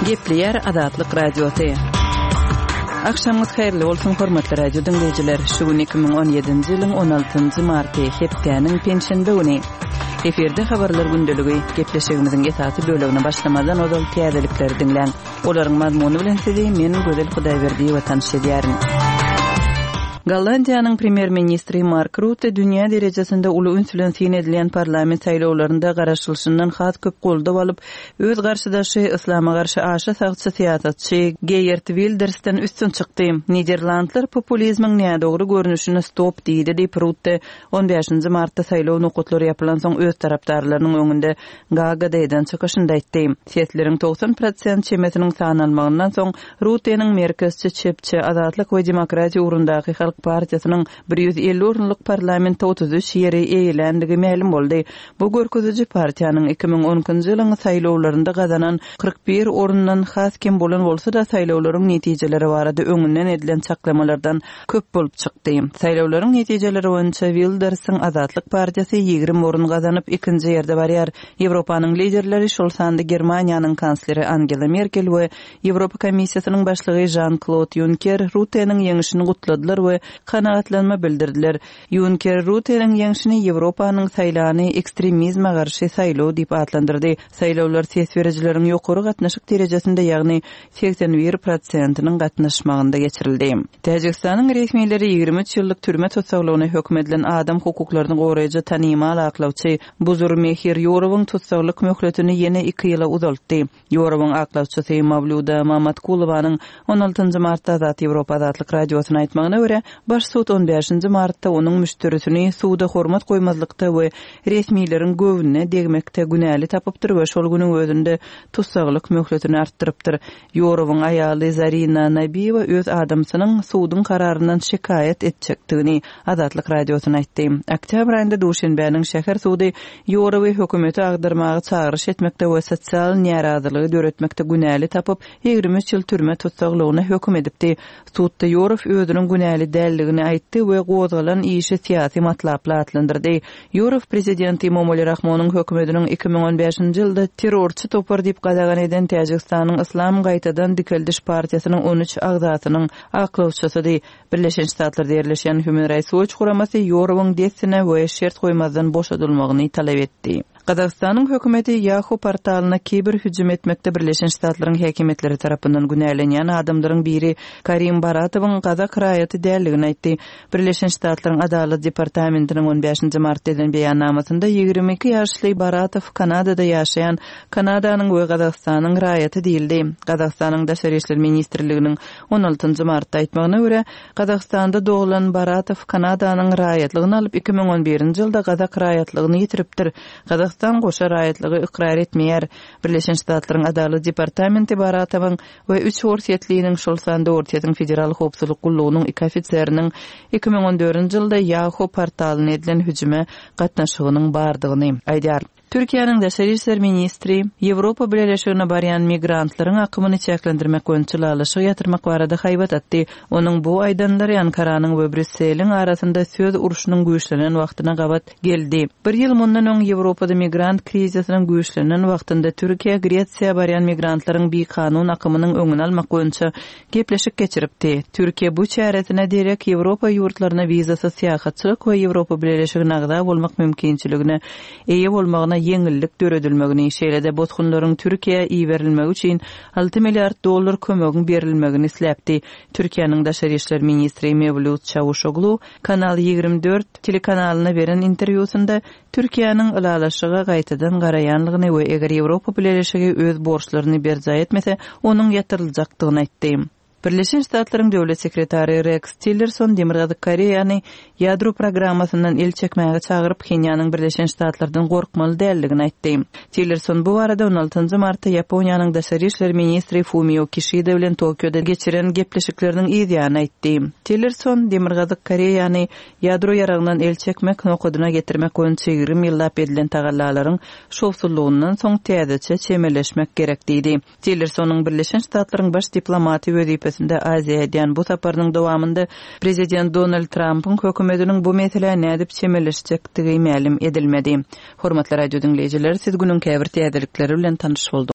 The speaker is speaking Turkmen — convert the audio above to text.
Gepleýär Azatlyk Radiosy. Agşamyňyz haýyrly bolsun, hormatly radio diňleýjiler! Şu gün 2017-nji ýylyň 16-njy marty, hepdäniň penşenbe güni. Efirde habarlar gündeligi. Gepleşigimiziň esasy bölegine başlamazdan ozal täzelikleri diňläň. Olaryň mazmuny bilen sizi men, Gözel Hudaýberdiýewa tanyş edýärin. Gollandiýanyň premýer-ministri Mark Rutte dünýä derejesinde uly üns bilen syn edilýän parlament saýlawlarynda garaşylyşyndan has köp goldaw alyp, öz garşydaşy, yslama garşy aşa sagçy syýasatçy Geýert Wildersden üstün çykdy. Niderlandlar populizmiň nädogry görnüşine stop diýdi diýip, Rutte on bäşinji martda saýlaw nokatlary ýapylansoň öz tarapdarlarynyň öňünde Gaagada eden çykyşynda aýtdy. Sesleriň 90 prosent çemesiniň sanalmagyndan soň, Rutteniň merkezçi çepçi Azatlyk we demokratiýa ugrundaky halk partiýasynyň 150 orunlyk parlamentde 33 ýeri eýeländigi mälim boldy. Bu görkeziji partiýanyň 2012-nji ýylyň saýlawlarynda gazanan 41 orundan has kem bolan bolsa-da, saýlawlaryň netijeleri barada öňünden edilen çaklamalardan köp bolup çykdy. Saýlawlaryň netijeleri boýunça Wildersiň Azatlyk partiýasy 20 orun gazanyp, ikinji ýerde barýar. Ýewropanyň liderleri, şol sanda Germaniýanyň kansleri Angela Merkel we Ýewropa Komissiýasynyň başlygy Žan-Klod Ýunker Rutteniň ýeňşini gutladylar we kanagatlanma bildirdiler. Ýunker Rutteniň ýeňşini Ýewropanyň saýlany ekstremizme garşy saýlaw diýip atlandyrdy. Saýlawlar ses berijileriň ýokary gatnaşyk derejesinde, ýagny 81 prosentiniň gatnaşmagynda geçirildi. Täjigistanyň resmileri 23 ýyllyk türme tussaglygyna höküm edilen adam hukuklaryny goraýjy tanymal aklawçy Buzurmehir Ýorowyň tussaglyk möhletini ýene iki ýyla uzaltdy. Ýorowyň aklawçysy Mawluda Mamatkulowanyň on altynjy martda Azat Ýewropa Azatlyk Radiosyna aýtmagyna görä, baş sud on bäşinji martda onuň müşderisini suda hormat goýmazlykda we resmileriň göwnüne degmekde günäli tapypdyr we şol günüň özünde tussaglyk möhletini artdyrypdyr. Ýorowyň aýaly Zarina Nabiýewa öz adamsynyň suduň kararyndan şikaýat etjekdigini Azatlyk Radiosyna aýtdy. Oktýabr aýynda Duşenbäniň şäher sudy Ýorowy hökümeti agdarmaga çagyryş etmekde we sosial närazylygy döretmekde günäli tapyp, 23 ýyl türme tussaglygyna höküm edipdi. Sudda Ýorow özüniň günäli däldigini aýtdy we gozgalan işi syýasy matlaply atlandyrdy. Ýorow prezident Emomali Rahmonyň hökümetiniň 2015-nji ýylda terrorçy topar diýip gadagan eden Täjigistanyň Yslam gaýtadan dikeldiş partiýasynyň 13 agzasynyň aklawçysydy. Birleşen Ştatlarda ýerleşýän Human Rights Watch guramasy Ýorowyň dessine we şert goýmazdan boşadylmagyny talap etdi. Gazagystanyň hökümeti Yahoo portalyna kiber hüjüm etmekde Birleşen Ştatlaryň häkimiýetleri tarapyndan günälenýän adamlaryň biri Karim Baratowyň gazak raýaty däldigini aýtdy. Birleşen Ştatlaryň Adalat departamentiniň on bäşinji martda eden beýannamasynda 22 ýaşly Baratow Kanadada ýaşaýan Kanadanyň we Gazagystanyň raýaty diýildi. Gazagystanyň Daşary işler ministrliginiň On altynjy martda aýtmagyna görä, Gazagystanda doglan Baratow Kanadanyň raýatlygyny alyp, 2011-nji ýylda gazak raýatlygyny ýitiripdir. Gazagystan goşa raýatlygy ykrar etmeýär. Birleşen Ştatlaryň Adalat departamenti Baratowyň we üç orsýetliniň, şol sanda Orsýetiň Federal howpsuzlyk gullugynyň iki ofiseriniň 2014-nji ýylda Yahoo portalyna edilen hüjüme gatnaşygynyň bardygyny aýdýar. Türkiýäniň daşary işler ministri Ýewropa Bileleşigine barýan migrantlaryň akymyny çäklendirmek boýunça ylalaşygy ýatyrmak barada haýbat atdy. Onuň bu aýdanlary Ankaranyň we Brýusseliň arasynda söz urşunyň güýçlenen wagtyna gabat geldi. Bir ýyl mundan öň Ýewropada migrant krizisiniň güýçlenen wagtynda Türkiýe Gresiýa barýan migrantlaryň bikanun akymynyň öňüni almak boýunça gepleşik geçiripdi. Türkiýe bu çäresine derek Ýewropa ýurtlaryna wizasyz syýahatçylyk we Ýewropa Bileleşigine agza bolmak mümkinçiligine eýe bolmagyna ýeňillik döredilmegini, şeýle-de bosgunlaryň Türkiýä iberilmegi üçin alty milliard dollar kömegiň berilmegini isläpdi. Türkiýäniň daşary işler ministri Mewlýut Çawuşoglu Kanal 24 telekanalyna beren interwýusynda Türkiýäniň ylalaşyga gaýtadan garaýanlygyny we eger Ýewropa Bileleşigi öz borçlaryny berjaý etmese, onuň ýatyryljakdygyny aýtdy. Birleşen Ştatlaryň Döwlet sekretary Reks Tillerson Demirgazyk Koreýany ýadro programmasyndan el çekmäge çagyryp, Phenýanyň Birleşen Ştatlardan gorkmaly däldigini aýtdy. Tillerson bu barada on altynjy martda Ýaponiýanyň daşary işler ministri Fumio Kişida bilen Tokioda geçiren gepleşikleriniň yz ýany aýtdy. Tillerson Demirgazyk Koreýany Ýadro ýaragyndan el çekmek nokadyna getirmek boýunça 20 ýyllap edilen tagallalaryň şowsuzlygyndan soň täzeçe çemeleşmek gerek diýdi. Tillersonyň Birleşen Ştatlaryň baş diplomaty wezipesinde Aziýa edýän bu saparynyň dowamynda prezident Donald Trampyň hökümetiniň bu meselä nädip çemeleşjekdigi mälim edilmedi. Hormatly radio diňleýjiler, siz günüň käbir täzelikleri bilen tanyş bolduňyz.